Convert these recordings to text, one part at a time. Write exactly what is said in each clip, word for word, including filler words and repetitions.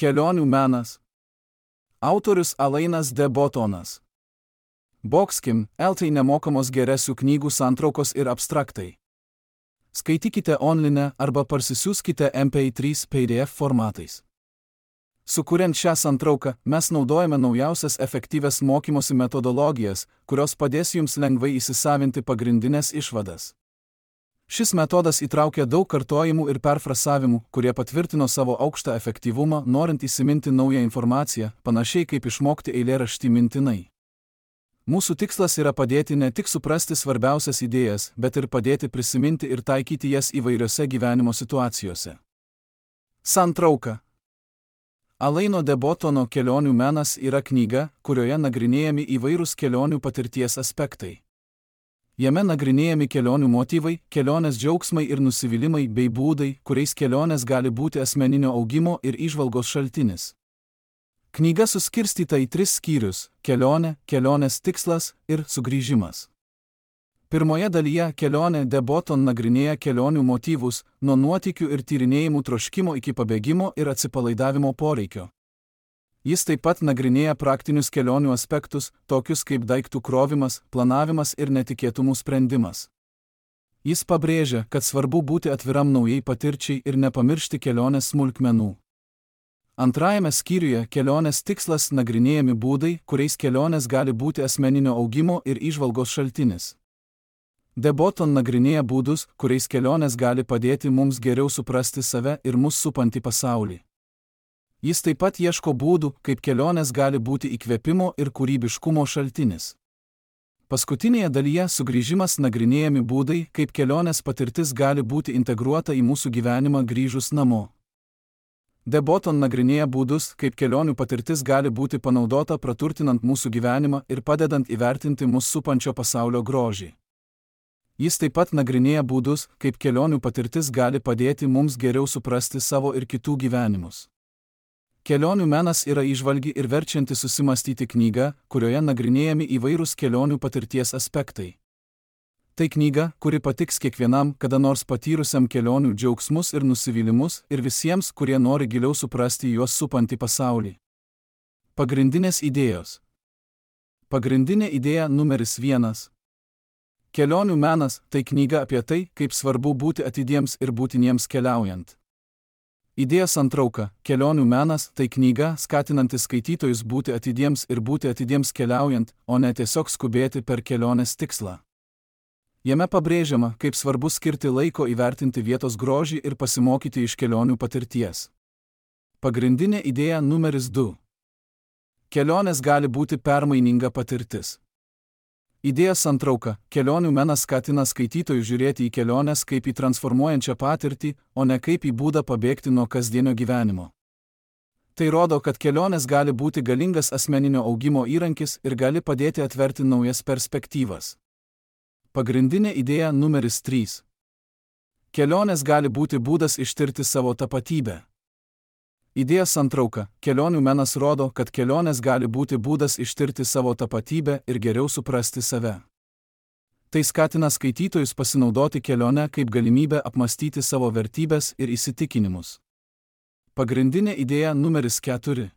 Kelionių menas. Autorius Alainas de Bottonas. Boxkim, eltai nemokamos geresių knygų santraukos ir abstraktai. Skaitykite online arba parsisiųskite M P trys P D F formatais. Sukuriant šią santrauką, mes naudojame naujausias efektyvias mokymosi metodologijas, kurios padės jums lengvai įsisavinti pagrindinės išvadas. Šis metodas įtraukia daug kartojimų ir perfrasavimų, kurie patvirtino savo aukštą efektyvumą, norint įsiminti naują informaciją, panašiai kaip išmokti eilėraštį mintinai. Mūsų tikslas yra padėti ne tik suprasti svarbiausias idėjas, bet ir padėti prisiminti ir taikyti jas įvairiose gyvenimo situacijose. Santrauka. Alaino de Bottono Kelionių menas yra knyga, kurioje nagrinėjami įvairūs kelionių patirties aspektai. Jame nagrinėjami kelionių motyvai, kelionės džiaugsmai ir nusivylimai bei būdai, kuriais kelionės gali būti asmeninio augimo ir įžvalgos šaltinis. Knyga suskirstyta į tris skyrius – kelionė, kelionės tikslas ir sugrįžimas. Pirmoje dalyje Kelionė de Botton nagrinėja kelionių motyvus, nuo nuotykių ir tyrinėjimų troškimo iki pabėgimo ir atsipalaidavimo poreikio. Jis taip pat nagrinėja praktinius kelionių aspektus, tokius kaip daiktų krovimas, planavimas ir netikėtumų sprendimas. Jis pabrėžia, kad svarbu būti atviram naujai patirčiai ir nepamiršti kelionės smulkmenų. Antrajame skyriuje Kelionės tikslas nagrinėjami būdai, kuriais kelionės gali būti asmeninio augimo ir įžvalgos šaltinis. De Botton nagrinėja būdus, kuriais kelionės gali padėti mums geriau suprasti save ir mus supantį pasaulį. Jis taip pat ieško būdų, kaip kelionės gali būti įkvėpimo ir kūrybiškumo šaltinis. Paskutinėje dalyje Sugrįžimas nagrinėjami būdai, kaip kelionės patirtis gali būti integruota į mūsų gyvenimą grįžus namo. De Botton nagrinėja būdus, kaip kelionių patirtis gali būti panaudota praturtinant mūsų gyvenimą ir padedant įvertinti mus supančio pasaulio grožį. Jis taip pat nagrinėja būdus, kaip kelionių patirtis gali padėti mums geriau suprasti savo ir kitų gyvenimus. Kelionių menas yra įžvalgi ir verčianti susimastyti knyga, kurioje nagrinėjami įvairūs kelionių patirties aspektai. Tai knyga, kuri patiks kiekvienam, kada nors patyrusiam kelionių džiaugsmus ir nusivylimus ir visiems, kurie nori giliau suprasti juos supantį pasaulį. Pagrindinės idėjos. Pagrindinė idėja numeris vienas. Kelionių menas – tai knyga apie tai, kaip svarbu būti atidiems ir būtiniems keliaujant. Idėja santrauka – Kelionių menas – tai knyga, skatinanti skaitytojus būti atidiems ir būti atidiems keliaujant, o ne tiesiog skubėti per kelionės tikslą. Jame pabrėžiama, kaip svarbu skirti laiko įvertinti vietos grožį ir pasimokyti iš kelionių patirties. Pagrindinė idėja numeris du. Kelionės gali būti permaininga patirtis. Idėja santrauka – Kelionių menas skatina skaitytojus žiūrėti į keliones kaip į transformuojančią patirtį, o ne kaip į būdą pabėgti nuo kasdienio gyvenimo. Tai rodo, kad kelionės gali būti galingas asmeninio augimo įrankis ir gali padėti atverti naujas perspektyvas. Pagrindinė idėja numeris trys. Kelionės gali būti būdas ištirti savo tapatybę. Idėja santrauka – Kelionių menas rodo, kad kelionės gali būti būdas ištirti savo tapatybę ir geriau suprasti save. Tai skatina skaitytojus pasinaudoti kelionę kaip galimybę apmastyti savo vertybės ir įsitikinimus. Pagrindinė idėja numeris keturi.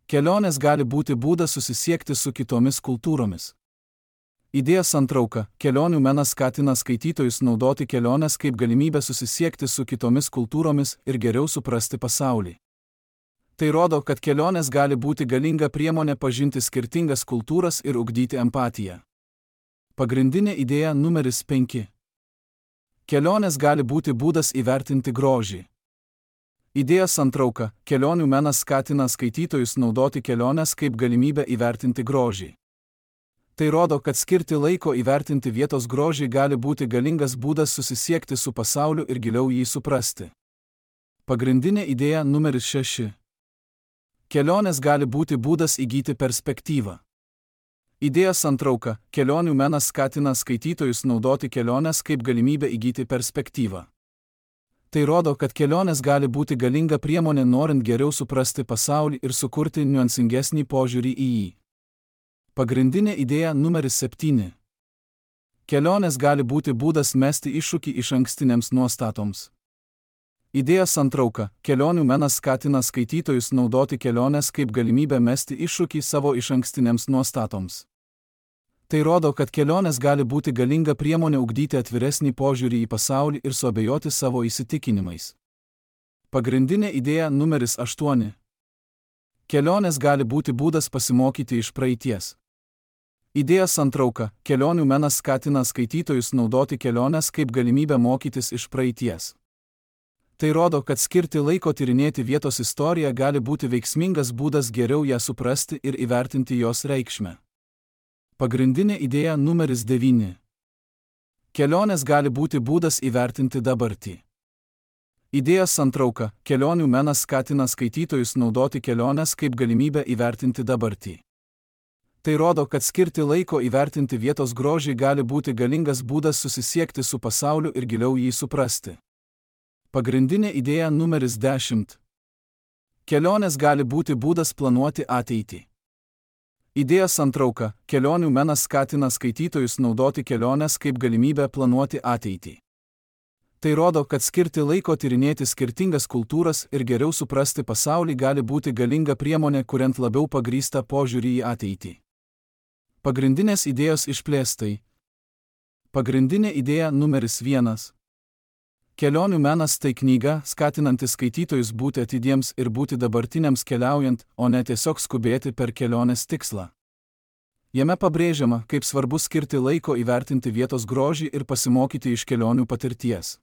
Kelionės gali būti būdas susisiekti su kitomis kultūromis. Idėja santrauka – Kelionių menas skatina skaitytojus naudoti keliones kaip galimybę susisiekti su kitomis kultūromis ir geriau suprasti pasaulį. Tai rodo, kad kelionės gali būti galinga priemonė pažinti skirtingas kultūras ir ugdyti empatiją. Pagrindinė idėja numeris penki. Kelionės gali būti būdas įvertinti grožį. Idėja santrauka – Kelionių menas skatina skaitytojus naudoti keliones kaip galimybę įvertinti grožį. Tai rodo, kad skirti laiko įvertinti vietos grožį gali būti galingas būdas susisiekti su pasauliu ir giliau jį suprasti. Pagrindinė idėja numeris šeši. Kelionės gali būti būdas įgyti perspektyvą. Idėja santrauka – Kelionių menas skatina skaitytojus naudoti keliones kaip galimybę įgyti perspektyvą. Tai rodo, kad kelionės gali būti galinga priemonė norint geriau suprasti pasaulį ir sukurti niuansingesnį požiūrį į jį. Pagrindinė idėja numeris septyni. Kelionės gali būti būdas mesti iššūkį išankstinėms nuostatoms. Idėja santrauka. Kelionių menas skatina skaitytojus naudoti keliones kaip galimybę mesti iššūkį savo išankstinėms nuostatoms. Tai rodo, kad kelionės gali būti galinga priemonė ugdyti atviresnį požiūrį į pasaulį ir suabejoti savo įsitikinimais. Pagrindinė idėja numeris aštuoni. Kelionės gali būti būdas pasimokyti iš praeities. Idėja santrauka. Kelionių menas skatina skaitytojus naudoti keliones kaip galimybę mokytis iš praeities. Tai rodo, kad skirti laiko tyrinėti vietos istoriją gali būti veiksmingas būdas geriau ją suprasti ir įvertinti jos reikšmę. Pagrindinė idėja numeris devyni. Kelionės gali būti būdas įvertinti dabartį. Idėja santrauka. Kelionių menas skatina skaitytojus naudoti keliones kaip galimybę įvertinti dabartį. Tai rodo, kad skirti laiko įvertinti vietos grožį gali būti galingas būdas susisiekti su pasauliu ir giliau jį suprasti. Pagrindinė idėja numeris dešimt. Kelionės gali būti būdas planuoti ateitį. Idėja santrauka. Kelionių menas skatina skaitytojus naudoti keliones kaip galimybę planuoti ateitį. Tai rodo, kad skirti laiko tyrinėti skirtingas kultūras ir geriau suprasti pasaulį gali būti galinga priemonė, kuriant labiau pagrįstą požiūrį į ateitį. Pagrindinės idėjos išplėstai. Pagrindinė idėja numeris vienas. Kelionių menas tai knyga, skatinanti skaitytojus būti atidiems ir būti dabartiniams keliaujant, o ne tiesiog skubėti per kelionės tikslą. Jame pabrėžiama, kaip svarbu skirti laiko įvertinti vietos grožį ir pasimokyti iš kelionių patirties.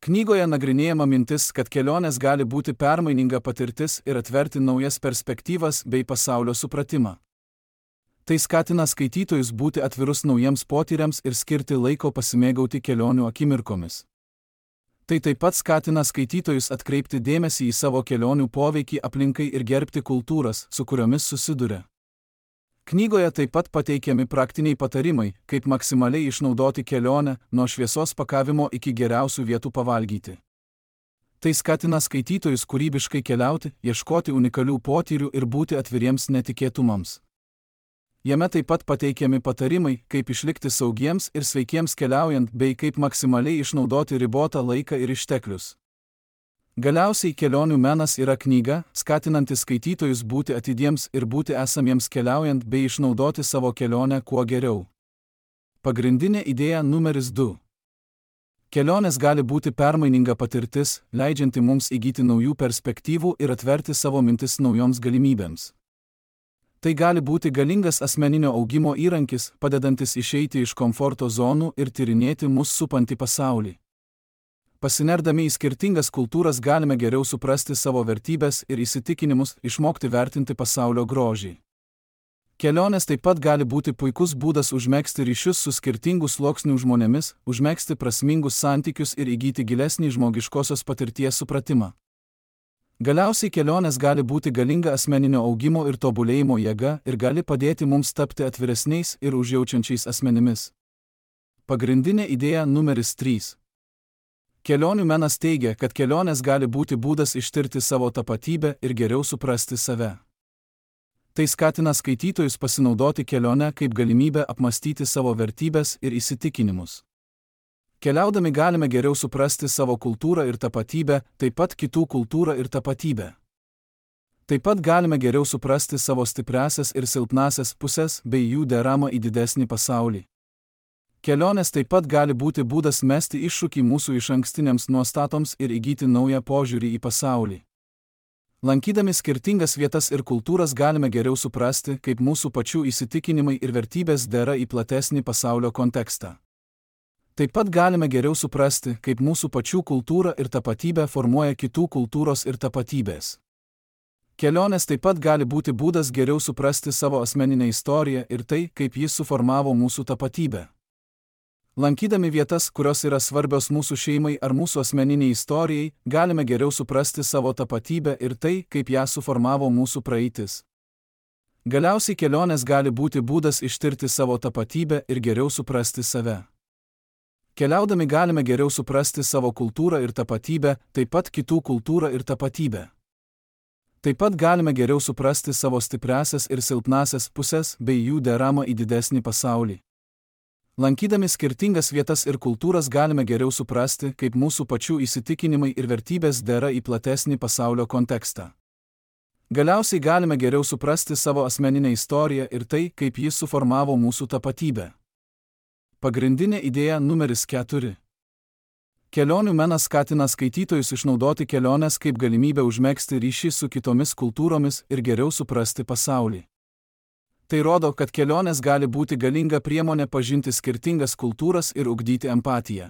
Knygoje nagrinėjama mintis, kad kelionės gali būti permaininga patirtis ir atverti naujas perspektyvas bei pasaulio supratimą. Tai skatina skaitytojus būti atvirus naujiems potyriams ir skirti laiko pasimėgauti kelionių akimirkomis. Tai taip pat skatina skaitytojus atkreipti dėmesį į savo kelionių poveikį aplinkai ir gerbti kultūras, su kuriomis susiduria. Knygoje taip pat pateikiami praktiniai patarimai, kaip maksimaliai išnaudoti kelionę, nuo šviesos pakavimo iki geriausių vietų pavalgyti. Tai skatina skaitytojus kūrybiškai keliauti, ieškoti unikalių potyrių ir būti atviriems netikėtumams. Jame taip pat pateikiami patarimai, kaip išlikti saugiems ir sveikiems keliaujant bei kaip maksimaliai išnaudoti ribotą laiką ir išteklius. Galiausiai kelionių menas yra knyga, skatinanti skaitytojus būti atidiems ir būti esamiems keliaujant bei išnaudoti savo kelionę kuo geriau. Pagrindinė idėja numeris du. Kelionės gali būti permaininga patirtis, leidžianti mums įgyti naujų perspektyvų ir atverti savo mintis naujoms galimybėms. Tai gali būti galingas asmeninio augimo įrankis, padedantis išeiti iš komforto zonų ir tyrinėti mus supantį pasaulį. Pasinerdami į skirtingas kultūras galime geriau suprasti savo vertybės ir įsitikinimus, išmokti vertinti pasaulio grožį. Kelionės taip pat gali būti puikus būdas užmegzti ryšius su skirtingų sluoksnių žmonėmis, užmegzti prasmingus santykius ir įgyti gilesnį žmogiškosios patirties supratimą. Galiausiai kelionės gali būti galinga asmeninio augimo ir tobulėjimo jėga ir gali padėti mums tapti atviresniais ir užjaučiančiais asmenimis. Pagrindinė idėja numeris trys. Kelionių menas teigia, kad kelionės gali būti būdas ištirti savo tapatybę ir geriau suprasti save. Tai skatina skaitytojus pasinaudoti kelionę kaip galimybę apmastyti savo vertybės ir įsitikinimus. Keliaudami galime geriau suprasti savo kultūrą ir tapatybę, taip pat kitų kultūrą ir tapatybę. Taip pat galime geriau suprasti savo stipriąsias ir silpnąsias pusės bei jų deramą į didesnį pasaulį. Kelionės taip pat gali būti būdas mesti iššūkį mūsų išankstiniams nuostatoms ir įgyti naują požiūrį į pasaulį. Lankydami skirtingas vietas ir kultūras galime geriau suprasti, kaip mūsų pačių įsitikinimai ir vertybės dera į platesnį pasaulio kontekstą. Taip pat galime geriau suprasti, kaip mūsų pačių kultūra ir tapatybė formuoja kitų kultūros ir tapatybės. Kelionės taip pat gali būti būdas geriau suprasti savo asmeninę istoriją ir tai, kaip jis suformavo mūsų tapatybę. Lankydami vietas, kurios yra svarbios mūsų šeimai ar mūsų asmeniniai istorijai, galime geriau suprasti savo tapatybę ir tai, kaip ją suformavo mūsų praeitis. Galiausiai kelionės gali būti būdas ištirti savo tapatybę ir geriau suprasti save. Keliaudami galime geriau suprasti savo kultūrą ir tapatybę, taip pat kitų kultūrą ir tapatybę. Taip pat galime geriau suprasti savo stipriąsias ir silpnąsias pusės bei jų deramą į didesnį pasaulį. Lankydami skirtingas vietas ir kultūras galime geriau suprasti, kaip mūsų pačių įsitikinimai ir vertybės dera į platesnį pasaulio kontekstą. Galiausiai galime geriau suprasti savo asmeninę istoriją ir tai, kaip jis suformavo mūsų tapatybę. Pagrindinė idėja numeris keturi. Kelionių menas skatina skaitytojus išnaudoti keliones kaip galimybę užmegzti ryšį su kitomis kultūromis ir geriau suprasti pasaulį. Tai rodo, kad kelionės gali būti galinga priemonė pažinti skirtingas kultūras ir ugdyti empatiją.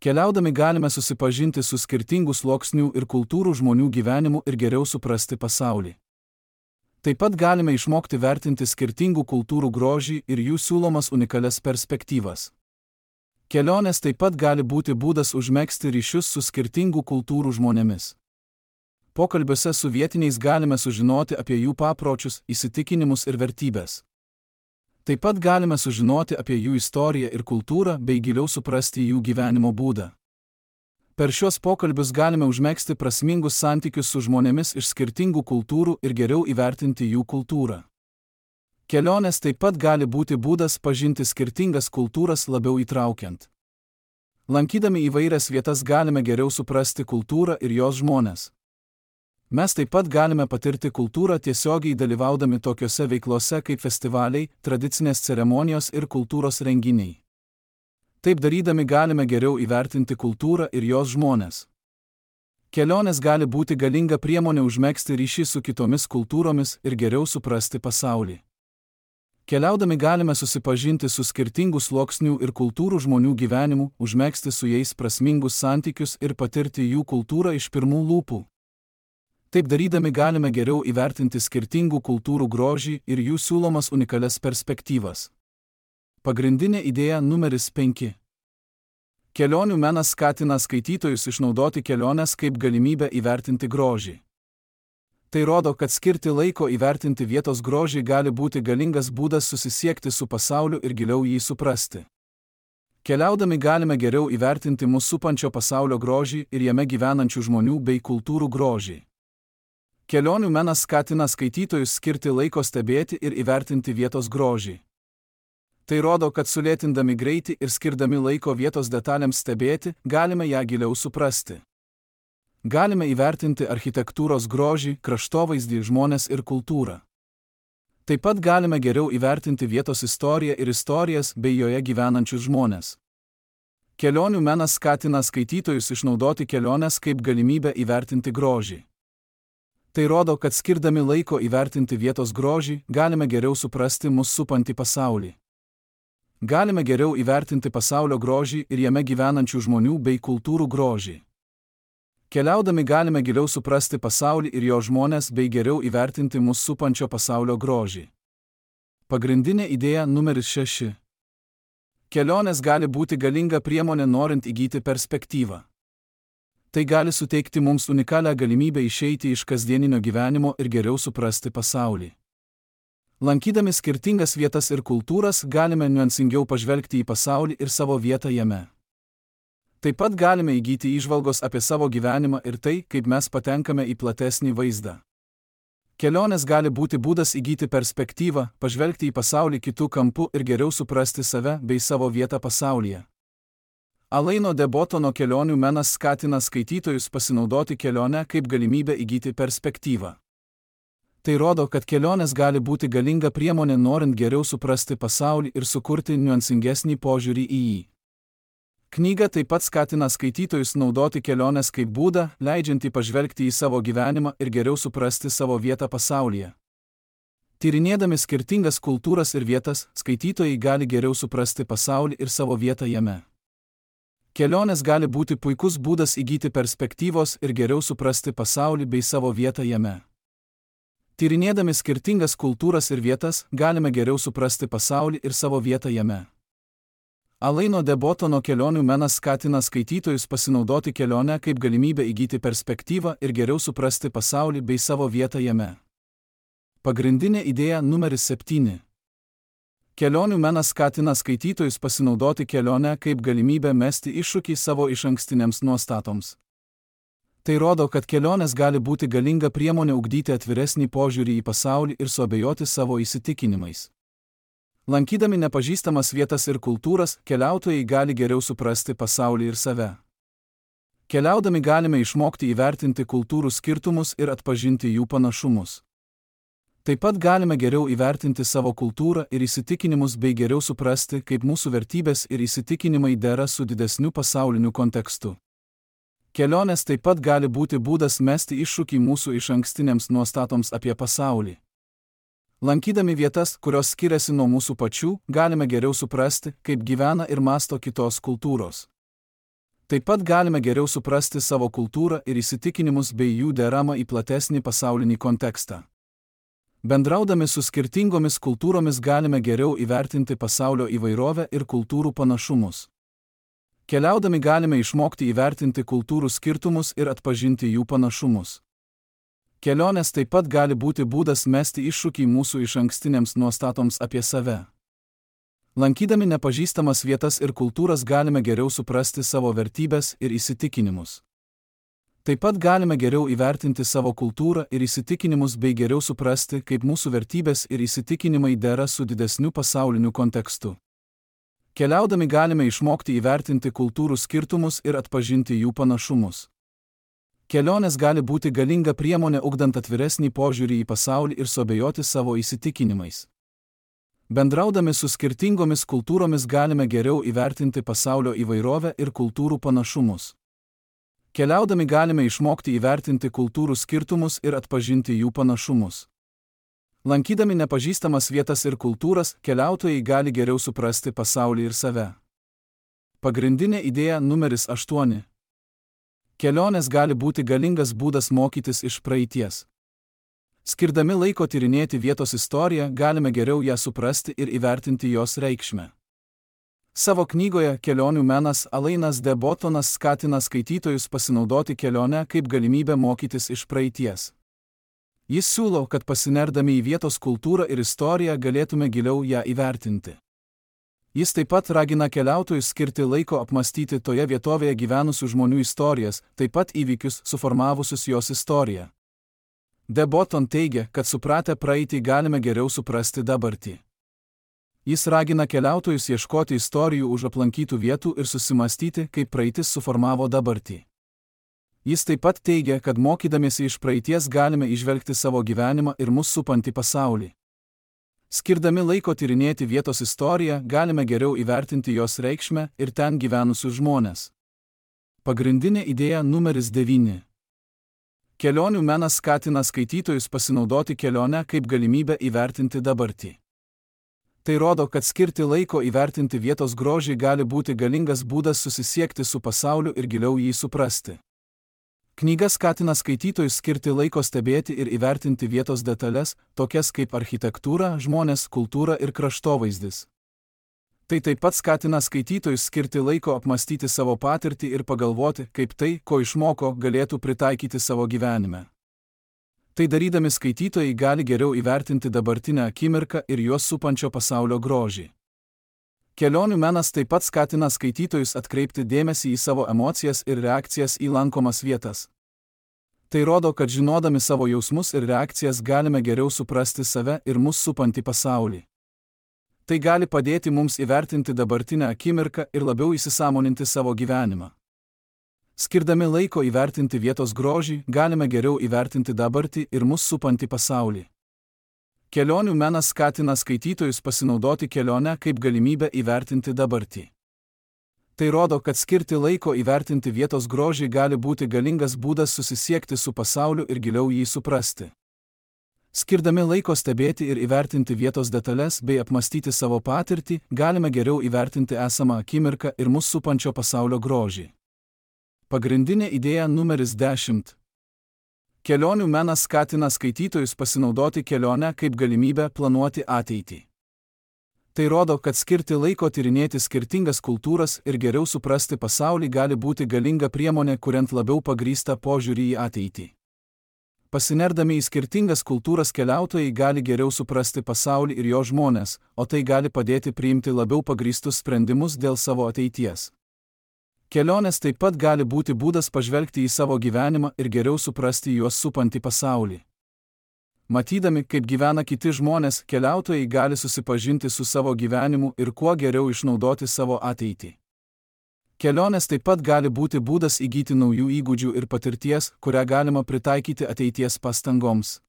Keliaudami galime susipažinti su skirtingų sluoksnių ir kultūrų žmonių gyvenimu ir geriau suprasti pasaulį. Taip pat galime išmokti vertinti skirtingų kultūrų grožį ir jų siūlomas unikalias perspektyvas. Kelionės taip pat gali būti būdas užmegzti ryšius su skirtingų kultūrų žmonėmis. Pokalbiuose su vietiniais galime sužinoti apie jų papročius, įsitikinimus ir vertybės. Taip pat galime sužinoti apie jų istoriją ir kultūrą bei giliau suprasti jų gyvenimo būdą. Per šios pokalbius galime užmegzti prasmingus santykius su žmonėmis iš skirtingų kultūrų ir geriau įvertinti jų kultūrą. Kelionės taip pat gali būti būdas pažinti skirtingas kultūras labiau įtraukiant. Lankydami įvairias vietas galime geriau suprasti kultūrą ir jos žmones. Mes taip pat galime patirti kultūrą tiesiogiai dalyvaudami tokiose veiklose kaip festivaliai, tradicinės ceremonijos ir kultūros renginiai. Taip darydami galime geriau įvertinti kultūrą ir jos žmones. Kelionės gali būti galinga priemonė užmegzti ryšį su kitomis kultūromis ir geriau suprasti pasaulį. Keliaudami galime susipažinti su skirtingų sluoksnių ir kultūrų žmonių gyvenimu, užmegzti su jais prasmingus santykius ir patirti jų kultūrą iš pirmų lūpų. Taip darydami galime geriau įvertinti skirtingų kultūrų grožį ir jų siūlomas unikalias perspektyvas. Pagrindinė idėja numeris penki. Kelionių menas skatina skaitytojus išnaudoti keliones kaip galimybę įvertinti grožį. Tai rodo, kad skirti laiko įvertinti vietos grožį gali būti galingas būdas susisiekti su pasauliu ir giliau jį suprasti. Keliaudami galime geriau įvertinti mus supančio pasaulio grožį ir jame gyvenančių žmonių bei kultūrų grožį. Kelionių menas skatina skaitytojus skirti laiko stebėti ir įvertinti vietos grožį. Tai rodo, kad sulėtindami greitį ir skirdami laiko vietos detalėms stebėti, galime ją giliau suprasti. Galime įvertinti architektūros grožį, kraštovaizdį, žmones ir kultūrą. Taip pat galime geriau įvertinti vietos istoriją ir istorijas bei joje gyvenančius žmones. Kelionių menas skatina skaitytojus išnaudoti keliones kaip galimybę įvertinti grožį. Tai rodo, kad skirdami laiko įvertinti vietos grožį, galime geriau suprasti mus supantį pasaulį. Galime geriau įvertinti pasaulio grožį ir jame gyvenančių žmonių bei kultūrų grožį. Keliaudami galime giliau suprasti pasaulį ir jo žmones bei geriau įvertinti mus supančio pasaulio grožį. Pagrindinė idėja numeris šeši. Kelionės gali būti galinga priemonė norint įgyti perspektyvą. Tai gali suteikti mums unikalią galimybę išeiti iš kasdieninio gyvenimo ir geriau suprasti pasaulį. Lankydami skirtingas vietas ir kultūras galime niuansingiau pažvelgti į pasaulį ir savo vietą jame. Taip pat galime įgyti įžvalgos apie savo gyvenimą ir tai, kaip mes patenkame į platesnį vaizdą. Kelionės gali būti būdas įgyti perspektyvą, pažvelgti į pasaulį kitų kampų ir geriau suprasti save bei savo vietą pasaulyje. Alaino de Botono kelionių menas skatina skaitytojus pasinaudoti kelionę kaip galimybę įgyti perspektyvą. Tai rodo, kad kelionės gali būti galinga priemonė norint geriau suprasti pasaulį ir sukurti niuansingesnį požiūrį į jį. Knyga taip pat skatina skaitytojus naudoti keliones kaip būdą, leidžiantį pažvelgti į savo gyvenimą ir geriau suprasti savo vietą pasaulyje. Tyrinėdami skirtingas kultūras ir vietas, skaitytojai gali geriau suprasti pasaulį ir savo vietą jame. Kelionės gali būti puikus būdas įgyti perspektyvos ir geriau suprasti pasaulį bei savo vietą jame. Tyrinėdami skirtingas kultūras ir vietas, galime geriau suprasti pasaulį ir savo vietą jame. Alaino de Botono kelionių menas skatina skaitytojus pasinaudoti kelionę kaip galimybę įgyti perspektyvą ir geriau suprasti pasaulį bei savo vietą jame. Pagrindinė idėja numeris septyni. Kelionių menas skatina skaitytojus pasinaudoti kelionę kaip galimybę mesti iššūkį savo išankstinėms nuostatoms. Tai rodo, kad kelionės gali būti galinga priemonė ugdyti atviresnį požiūrį į pasaulį ir suabejoti savo įsitikinimais. Lankydami nepažįstamas vietas ir kultūras, keliautojai gali geriau suprasti pasaulį ir save. Keliaudami galime išmokti įvertinti kultūrų skirtumus ir atpažinti jų panašumus. Taip pat galime geriau įvertinti savo kultūrą ir įsitikinimus bei geriau suprasti, kaip mūsų vertybės ir įsitikinimai dera su didesniu pasauliniu kontekstu. Kelionės taip pat gali būti būdas mesti iššūkį mūsų išankstinėms nuostatoms apie pasaulį. Lankydami vietas, kurios skiriasi nuo mūsų pačių, galime geriau suprasti, kaip gyvena ir mąsto kitos kultūros. Taip pat galime geriau suprasti savo kultūrą ir įsitikinimus bei jų deramą į platesnį pasaulinį kontekstą. Bendraudami su skirtingomis kultūromis galime geriau įvertinti pasaulio įvairovę ir kultūrų panašumus. Keliaudami galime išmokti įvertinti kultūrų skirtumus ir atpažinti jų panašumus. Kelionės taip pat gali būti būdas mesti iššūkį mūsų išankstinėms nuostatoms apie save. Lankydami nepažįstamas vietas ir kultūras galime geriau suprasti savo vertybės ir įsitikinimus. Taip pat galime geriau įvertinti savo kultūrą ir įsitikinimus bei geriau suprasti, kaip mūsų vertybės ir įsitikinimai dera su didesniu pasauliniu kontekstu. Keliaudami galime išmokti įvertinti kultūrų skirtumus ir atpažinti jų panašumus. Kelionės gali būti galinga priemonė ugdant atviresnį požiūrį į pasaulį ir suabejoti savo įsitikinimais. Bendraudami su skirtingomis kultūromis galime geriau įvertinti pasaulio įvairovę ir kultūrų panašumus. Keliaudami galime išmokti įvertinti kultūrų skirtumus ir atpažinti jų panašumus. Lankydami nepažįstamas vietas ir kultūras, keliautojai gali geriau suprasti pasaulį ir save. Pagrindinė idėja numeris aštuoni. Kelionės gali būti galingas būdas mokytis iš praeities. Skirdami laiko tyrinėti vietos istoriją, galime geriau ją suprasti ir įvertinti jos reikšmę. Savo knygoje Kelionių menas Alainas de Botonas skatina skaitytojus pasinaudoti kelionę kaip galimybę mokytis iš praeities. Jis siūlo, kad pasinerdami į vietos kultūrą ir istoriją galėtume giliau ją įvertinti. Jis taip pat ragina keliautojus skirti laiko apmastyti toje vietovėje gyvenusių žmonių istorijas, taip pat įvykius suformavusius jos istoriją. De Boton teigia, kad supratę praeitį galime geriau suprasti dabartį. Jis ragina keliautojus ieškoti istorijų už aplankytų vietų ir susimastyti, kaip praeitis suformavo dabartį. Jis taip pat teigia, kad mokydamiesi iš praeities galime įžvelgti savo gyvenimą ir mus supantį pasaulį. Skirdami laiko tyrinėti vietos istoriją, galime geriau įvertinti jos reikšmę ir ten gyvenusius žmones. Pagrindinė idėja numeris devyni. Kelionių menas skatina skaitytojus pasinaudoti kelionę kaip galimybę įvertinti dabartį. Tai rodo, kad skirti laiko įvertinti vietos grožį gali būti galingas būdas susisiekti su pasauliu ir giliau jį suprasti. Knyga skatina skaitytojus skirti laiko stebėti ir įvertinti vietos detalės, tokias kaip architektūra, žmonės, kultūra ir kraštovaizdis. Tai taip pat skatina skaitytojus skirti laiko apmastyti savo patirtį ir pagalvoti, kaip tai, ko išmoko, galėtų pritaikyti savo gyvenime. Tai darydami skaitytojai gali geriau įvertinti dabartinę akimirką ir juos supančio pasaulio grožį. Kelionių menas taip pat skatina skaitytojus atkreipti dėmesį į savo emocijas ir reakcijas į lankomas vietas. Tai rodo, kad žinodami savo jausmus ir reakcijas galime geriau suprasti save ir mus supantį pasaulį. Tai gali padėti mums įvertinti dabartinę akimirką ir labiau įsisąmoninti savo gyvenimą. Skirdami laiko įvertinti vietos grožį, galime geriau įvertinti dabartį ir mus supantį pasaulį. Kelionių menas skatina skaitytojus pasinaudoti kelionę kaip galimybę įvertinti dabartį. Tai rodo, kad skirti laiko įvertinti vietos grožį gali būti galingas būdas susisiekti su pasauliu ir giliau jį suprasti. Skirdami laiko stebėti ir įvertinti vietos detalės bei apmastyti savo patirtį, galime geriau įvertinti esamą akimirką ir mus supančio pasaulio grožį. Pagrindinė idėja numeris dešimt. Kelionių menas skatina skaitytojus pasinaudoti kelionę kaip galimybę planuoti ateitį. Tai rodo, kad skirti laiko tyrinėti skirtingas kultūras ir geriau suprasti pasaulį gali būti galinga priemonė, kuriant labiau pagrįstą požiūrį į ateitį. Pasinerdami į skirtingas kultūras keliautojai gali geriau suprasti pasaulį ir jo žmones, o tai gali padėti priimti labiau pagrįstus sprendimus dėl savo ateities. Kelionės taip pat gali būti būdas pažvelgti į savo gyvenimą ir geriau suprasti juos supantį pasaulį. Matydami, kaip gyvena kiti žmonės, keliautojai gali susipažinti su savo gyvenimu ir kuo geriau išnaudoti savo ateitį. Kelionės taip pat gali būti būdas įgyti naujų įgūdžių ir patirties, kurią galima pritaikyti ateities pastangoms.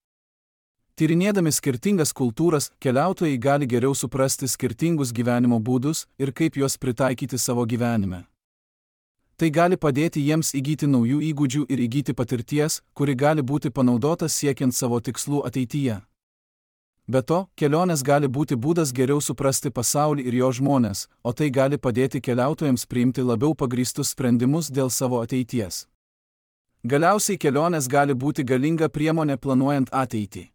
Tyrinėdami skirtingas kultūras, keliautojai gali geriau suprasti skirtingus gyvenimo būdus ir kaip juos pritaikyti savo gyvenime. Tai gali padėti jiems įgyti naujų įgūdžių ir įgyti patirties, kuri gali būti panaudota siekiant savo tikslų ateityje. Be to, kelionės gali būti būdas geriau suprasti pasaulį ir jo žmones, o tai gali padėti keliautojams priimti labiau pagrįstus sprendimus dėl savo ateities. Galiausiai kelionės gali būti galinga priemonė planuojant ateitį.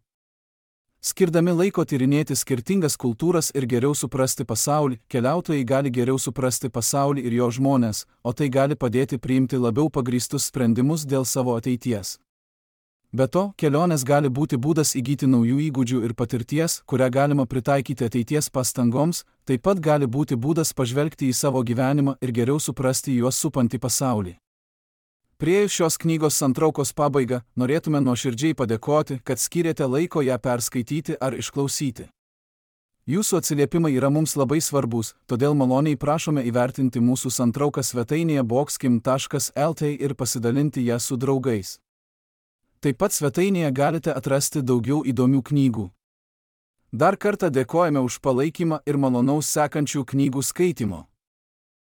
Skirdami laiko tyrinėti skirtingas kultūras ir geriau suprasti pasaulį, keliautojai gali geriau suprasti pasaulį ir jo žmones, o tai gali padėti priimti labiau pagrįstus sprendimus dėl savo ateities. Be to, kelionės gali būti būdas įgyti naujų įgūdžių ir patirties, kurią galima pritaikyti ateities pastangoms, taip pat gali būti būdas pažvelgti į savo gyvenimą ir geriau suprasti juos supantį pasaulį. Priėjus šios knygos santraukos pabaigą, norėtume nuoširdžiai padėkoti, kad skyrėte laiko ją perskaityti ar išklausyti. Jūsų atsiliepimai yra mums labai svarbus, todėl maloniai prašome įvertinti mūsų santrauką svetainėje boxkim taškas el t ir pasidalinti ją su draugais. Taip pat svetainėje galite atrasti daugiau įdomių knygų. Dar kartą dėkojame už palaikymą ir malonaus sekančių knygų skaitimo.